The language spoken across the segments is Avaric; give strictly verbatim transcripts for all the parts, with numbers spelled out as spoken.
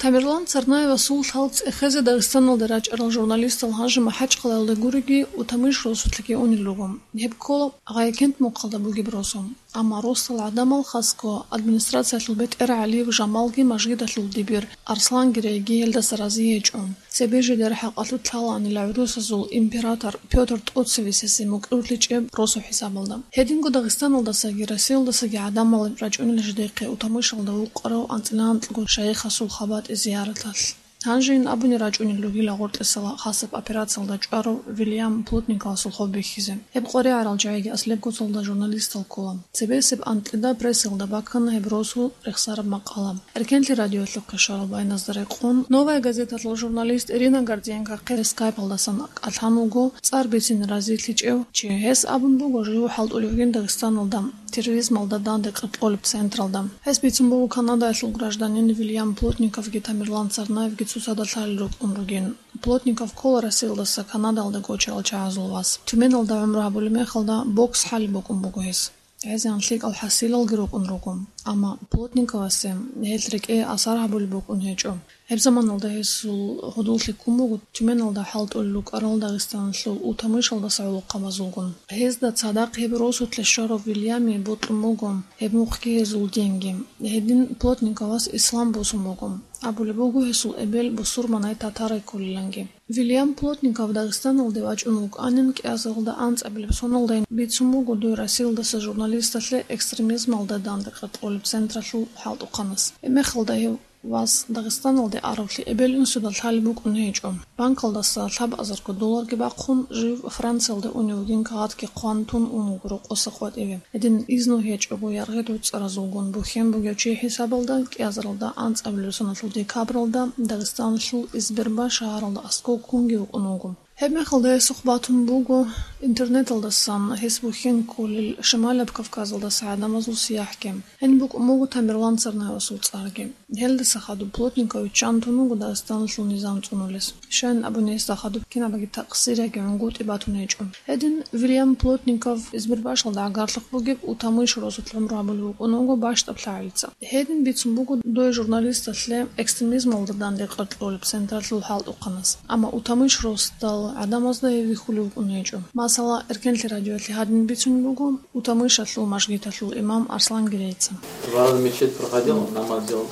Тамерлан Царнаевасул лъал цӀехезе Дагъистаналде рачӀарал журналистал гьанже МахӀачхъалаялда гуриги, Утамыш росулъеги унел руго. Гьеб ккола Гъайкент мухъалда бугеб росу. Амма росдал гӀадамал, хасго администрациялъул бетӀергьан ГӀалиев Жамалги мажгиталъул дибир Арслан Герейги гьелдаса рази гьечӀо. Цебе жидер хӀакъалъулъ лъалаанила гӀурусазул император Пётр тӀоцевесасе мукӀурлъичӀеб росу хӀисабалда. Гьединго Дагъистаналдасаги Россиялдасаги гӀадамал рачӀунел жидехъе Утамышалда вукъарав анцӀила анкьго шайихасул хабатӀи зияраталъ. Гьанжейин абуни рачӀунел ругила гъоркьесала хасаб операциялда чӀварав Вильям Плотниковасул хоб бихьизе. Гьеб къваригӀарал жагьиги аслеб гоцалда журналистал ккола. Цебесеб анкьида прессалда баккана гьеб росу рехсараб макъала. Эркенлъи радиоялъухъе щварал байназда рекъон, «Новая газеталъул» журналист Ирина Гордиенкохъе скайпалдасан кӀалъан вуго цӀар бицине разилъичӀев чи. Гьес абун буго жив хӀалтӀулев вугин Дагъистаналда терроризмалда данде къеркьолеб централда. Гьес бицун буго Канадаялъул гражданин Вильям Плотниковги Тамерлан Царнаевги цоцазда лъалел рукӀун ругин. Плотников ккола Россиялдаса Канадаялда гочарал чагӀазул вас. Тюменалда гӀумру гьабулеб мехалда бокс хӀалеб букӀун буго гьес. ГӀезегӀан лъикӀал хӀасилалги рукӀун руго. Амма Плотниковасе гьелъ рекӀее асар гьабулеб букӀун гьечӀо. Гьеб заманалда гьесул гьудуллъи ккун буго Тюменалда хӀалтӀулел рукӀарал Дагъистаналъул Утамышалдаса гӀолохъабазулгун. Гьезда цадахъ гьеб росулъе щварав Вильями бокьун буго гьеб мухъги гьезул динги. Гьедин Плотниковас ислам босун буго. Абулеб буго гьесул эбел бусурманай татарай кколиланги. Вильям Плотников Дагъистаналде вачӀун вукӀанин кӀиазаралда анцӀабилеб соналдайин бицун буго дой Россиялдаса журналисталъе экстремизмалда данде къеркьолеб централъул хӀалтӀухъанас. Гьеб мехалда гьев вас Дагъистаналде аравлъи эбел-инсуда лъалеб букӀун гьечӀо. Банкалдаса лъабазарго долларги бахъун, жив Франциялде унев вугин кагъатги хъван тун ун вуго рокъоса къватӀиве. Гьедин изну гьечӀого яргъи гӀуцӀаразулгун бухьен бугев чи хӀисабалда кӀиазаралда анцӀабилеб соналъул декабралда Дагъистаналъул Избербаш шагьаралда аскӀов ккунги вукӀун вуго. Гьеб мехалда гьесухъ батун буго интернеталдасан гьес бухьен кколел Шималаб Кавказалдаса гӀадамазул сияхӀги. Гьениб букӀун буго Тамерлан Царнаевасул цӀарги. Гьелдаса хадуб Плотников виччан тун вуго Дагъистаналъул низам цӀунулес. Щайин абуни, гьесда хадуб кинабаги такъсир яги гӀунгутӀи батун гьечӀо. Гьедин Вильям Плотников Избербашалда гӀагарлъухъ бугеб Утамыш росулъ гӀумру гьабулев вукӀун вуго бащдаб лъагӀалица. Гьедин бицун буго дой журналисталъе экстремизмалда данде къеркьолеб централъул хӀалтӀухъанас. Амма Утамыш росдал гӀадамазда гьев вихьулев вукӀун гьечӀо. Масала, Эркенлъи радиоялъе гьадин бицунеб буго, Утамышалъул мажгиталъул имам Арслан Герейца. Два раза мечеть проходил, намаз делал.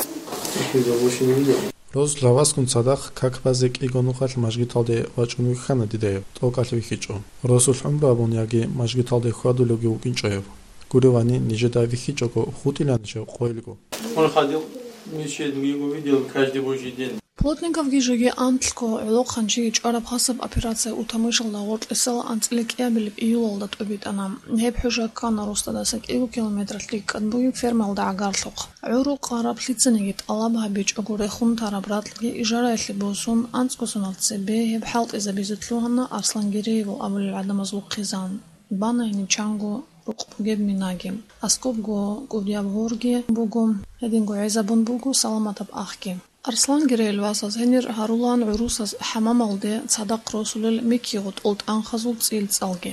Видео больше не видел. Рос лъаваскун цадахъ как базе кӀиго нухалъ мажгиталде вачӀун вихьана дида гьев, тӀокӀалъ вихьичӀо. Росулъ гӀумру абун яги мажгиталде хьвадулевги вукӀинчӀо гьев. Гуревани, нижеда вихьичӀого хутӀиланищ гьев къойилго? Он ходил в мечеть, мы его видел каждый божий день. Плотниковги жеги анлъго гӀолохъанчиги чӀвараб хасаб операция Утамышалда гъоркьесала анцӀила кӀиабилеб июлалда тӀобитӀана. Гьеб хӀужа ккана росдадаса кӀиго километр лъикӀкӀад бугеб фермалда гӀагарлъухъ. ГӀурухъ гьараб лъицаниги тӀалаб гьабичӀого рехун тараб ракьги ижараялъе босун, анцӀго сонал цебе гьеб хӀалтӀизабизе лъугьана Арслан Гереевал абулел гӀадамазул хъизан. Бана гьениб чанго рукъ бугеб минаги. Аскобго кӀудияб гьорги буго, гьединго гӀезабун буго саламатаб ахги. Арслан Гереевил васаз гьенир гьарулаан гӀурусаз хӀамамалде цадахъ росулел микки-гъутӀул тӀанхазул цӀилцӀалги.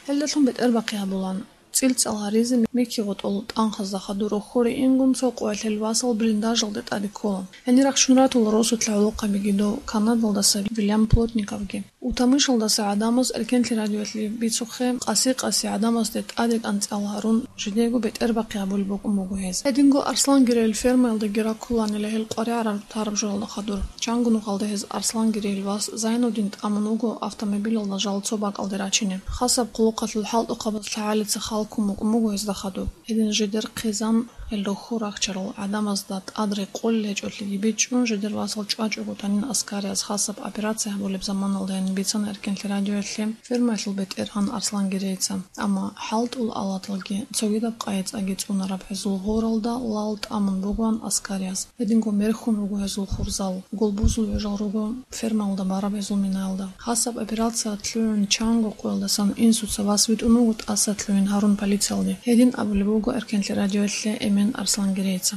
Гьелдалъун бетӀербахъи гьабулаан. ЦӀилцӀал гьаризе микки-гъутӀул тӀанхазда хадур рохьоре ингун цо къоялъ гьел васал блиндажалде тӀаде ккола. Гьенир рахчун ратула росулъа гӀолохъабиги дов Канадалдаса Вильям Плотниковги. Утамышалдаса гӀадамаз Эркенлъи радиоялъе бицухъе, къаси-къаси гӀадамазде тӀаде кӀанцӀал гьарун, жидего бетӀербахъи гьабулеб букӀун буго гьез. Гьединго Арслан Гереевил фермаялда гьарулаанила гьел къваригӀараб тараб жоялда хадур. Чанго нухалда гьез Арслан Гереевил вас Зайнудин тӀамун вуго автомобилалда жал цо бакӀалде рачине. Хасаб хъулухъалъул хӀалтӀухъабаз лъагӀалица хал ккун букӀун буго гьезда хадуб. Гьедин жидер хъизан гьел рохьо рахчарал гӀадамазда тӀад рекъолел гьечӀолъиги бичӀчӀун, жидер васал чӀвачӀого танин аскарияз хасаб операция гьабулеб заманалдайин бицана Эркенлъи радиоялъе фермаялъул бетӀергьан Арслан Герейца. Амма хӀалтӀул алаталги, цогидаб къайи-цӀаги цӀунараб гьезул гьоралда лал тӀамун бугоан аскарияз. Гьединго мерхьун руго гьезул хурзал, гулбузул гӀужал руго фермаялда бараб гьезул минаялда. Хасаб операция лъугӀун чанго къоялдасан инсуца вас витӀун вуго тӀаса лъугӀин гьарун полициялде. Гьедин абулеб буго Эркенлъи радиоялъе эмен Арслан Герейца.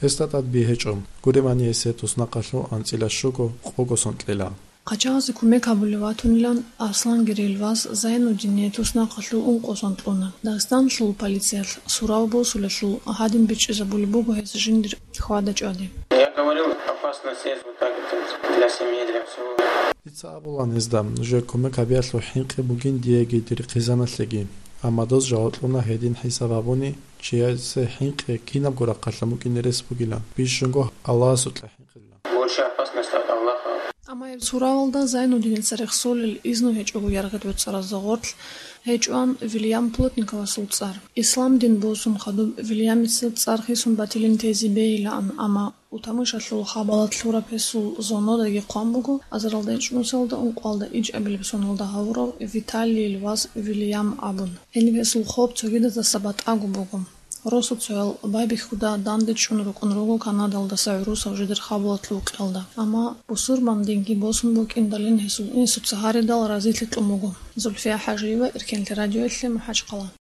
Гьесда тӀад би гьечӀо. Гуребани, гьесие туснахъалъув анцӀила щуго, къого сон кьела. Ачагъазе кумек гьабулев ватунилан Аслан Гирилвас Зайнуддине туснахъалъув ункъо сон кьуна. Дагъистаналъул полициялъ сурав босулелъул гьадин бичӀчӀизабулеб буго гьес жиндир хьвада-чӀвади. Я говорил, опасность есть вот так вот для семьи, для всего. Дица абулан гьезда, нужер кумек гьабиялъул хӀинкъи бугин диеги дир хъизаналъеги. Амма дос жаваб кьуна гьедин хӀисаб гьабуни, чиясе хӀинкъи кинабго рахъалъан букӀине рес бугилан, бищунго Аллагьасукьа хӀинкъилан. Больше опасность от Аллаха. Амма гьеб суравалда Зайнуддиница рехсолел изну гьечӀого яргъи гӀуцӀаразда гъорлъ гьечӀоан Вильям Плотниковасул цӀар. Ислам дин босун хадуб Вильямица цӀар хисун батилин тезе бегьилаан, амма Утамышалъул хабалат лъураб гьесул зонодаги хъван буго азаралда ичӀнусиялда ункъоялда ичӀабилеб соналда гьавурав Виталийил вас Вильям абун. Гьениб гьесул хоб цогидазаса батӀаго буго. Росуцоял байбихьуда данде чӀун рукӀун руго Канадалдаса гӀурусав жидер хабалатлъул кьелда. Амма бусурбан динги босун букӀиндалин гьесул инсуца гьаридал разилъи кьун буго. Зульфия ХӀажиева, Эркенлъи радиоялъе, МахӀачхъала.